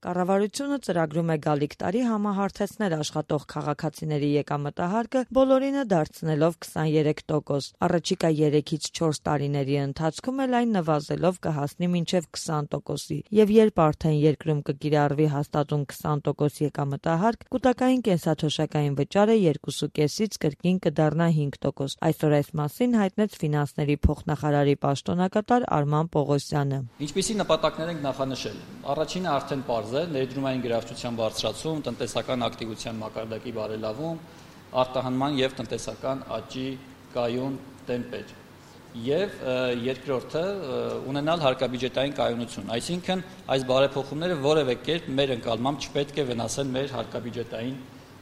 Կառավարությունը ծրագրում է գալիք տարի համահարթեցնել աշխատող քաղաքացիների եկամտահարկը, բոլորինը դարձնելով 23%։ Առաջիկա 3-ից 4 տարիների ընթացքում էլ այն նվազելով կհասնի մինչև 20%-ի, եւ երբ արդեն երկրում կկիրառվի հաստատուն 20% եկամտահարկ, կൂട്ടակային կենսաթոշակային վճարը 2.5-ից կրկին կդառնա 5%։ Այսօր այս մասին հայտնեց ֆինանսների փոխնախարարի պաշտոնակատար Արման Պողոսյանը։ Ինչպիսի նպատակներ ենք նախանշել։ Առաջինը արդեն պարզ է, ներդրումային գրավչության բարձրացում, տնտեսական ակտիվության մակարդակի բարելավում, արտահանման եւ տնտեսական աճի կայուն տեմպեր։ Եվ երկրորդը ունենալ հարկաբյուջետային կայունություն, այսինքն այս բարեփոխումները որևէ կերպ մեր ընկալմամբ չպետք է վնասեն մեր հարկաբյուջետային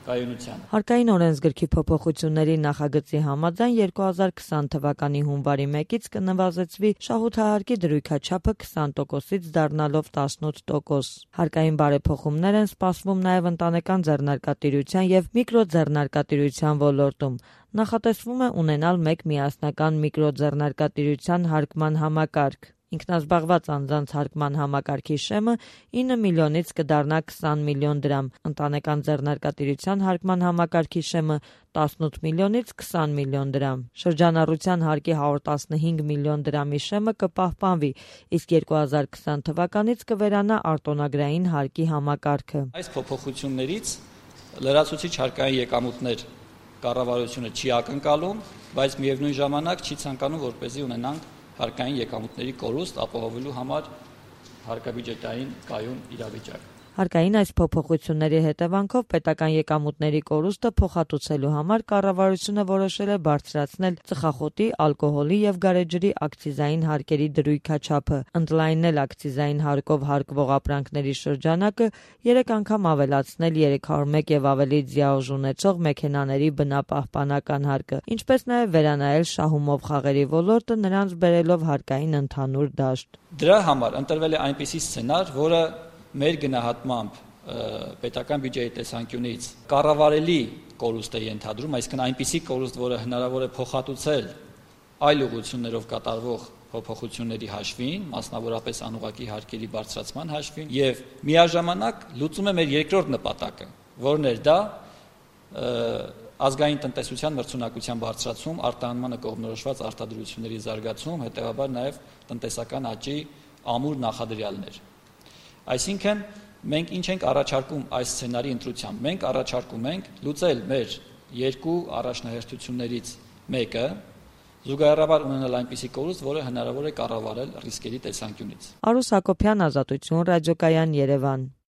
կայունությանը։ Հարկային օրենսգրքի փոփոխությունների նախագծի համաձայն 2020 թվականի հունվարի 1-ից կնվազեցվի շահութահարկի դրույքաչափը 20%-ից դառնալով 18%։ Հարկային բարեփոխումներ են սպասվում նաև ընտանեկան ձեռնարկատիրության եւ միկրոձեռնարկատիրության ոլորտում։ Նախատեսվում է ունենալ մեկ միասնական միկրոձեռնարկատիրության հարկման համակարգ։ Ինքնազբաղված անձանց հարկման համակարգի շեմը 9 միլիոնից կդառնա 20 միլիոն դրամ, ընտանեկան ձեռնարկատիրության հարկման համակարգի շեմը 18 միլիոնից 20 միլիոն դրամ։ Շրջանառության հարկի 115 միլիոն դրամի շեմը կպահպանվի, իսկ 2020 թվականից կվերանա արտոնագրային հարկի համակարգը։ Այս փոփոխություններից լրացուցիչ հարկային եկամուտներ կառավարությունը չի ակնկալում, բայց միևնույն ժամանակ չի ցանկանում, որպեսզի ունենանք հարկային եկամուտների կորուստ ապահովելու համար հարկաբյուջետային կայուն իրավիճակ։ Հարկային այս փոփոխությունների հետևանքով պետական եկամուտների կորուստը փոխհատուցելու համար կառավարությունը որոշել է բարձրացնել ծխախոտի, ալկոհոլի եւ գարեջրի ակցիզային հարկերի դրույքաչափը, ընդլայնել ակցիզային հարկով հարկվող ապրանքների շրջանակը, 3 անգամ ավելացնել 301 եւ ավելի ձիաուժ ունեցող մեքենաների բնապահպանական հարկը, ինչպես նաեւ վերանայել շահումով խաղերի ոլորտը, նրանց բերելով հարկային ընդհանուր դաշտ։ Դրա համար ընտրվել է այնպիսի սցենար, որը մեր գնահատմամբ պետական բյուջեի տեսանկյունից կառավարելի կորուստ է ենթադրում, այսինքն այնպիսի կորուստ, որը հնարավոր է փոխհատուցել այլ ուղղություններով կատարվող փոփոխությունների հաշվին, մասնավորապես անուղղակի հարկերի բարձրացման հաշվին, եւ միաժամանակ լուծում է մեր երկրորդ նպատակը, որն էր դա ազգային տնտեսության մրցունակության բարձրացում, արտահանմանը կողմնորոշված արտադրությունների զարգացում, հետեւաբար նաեւ տնտեսական աճի ամուր նախադրյալներ։ Այսինքն մենք ինչ ենք առաջարկում այս սցենարի ընտրությամբ։ Մենք առաջարկում ենք լուծել մեր երկու առաջնահերթություններից մեկը, զուգահեռաբար ունենալ այնպիսի կորուստ, որը հնարավոր է կառավարել ռիսկերի տեսանկյունից։ Արուս Հակոբյան, Ազատություն, ռադիոկայան, Երևան։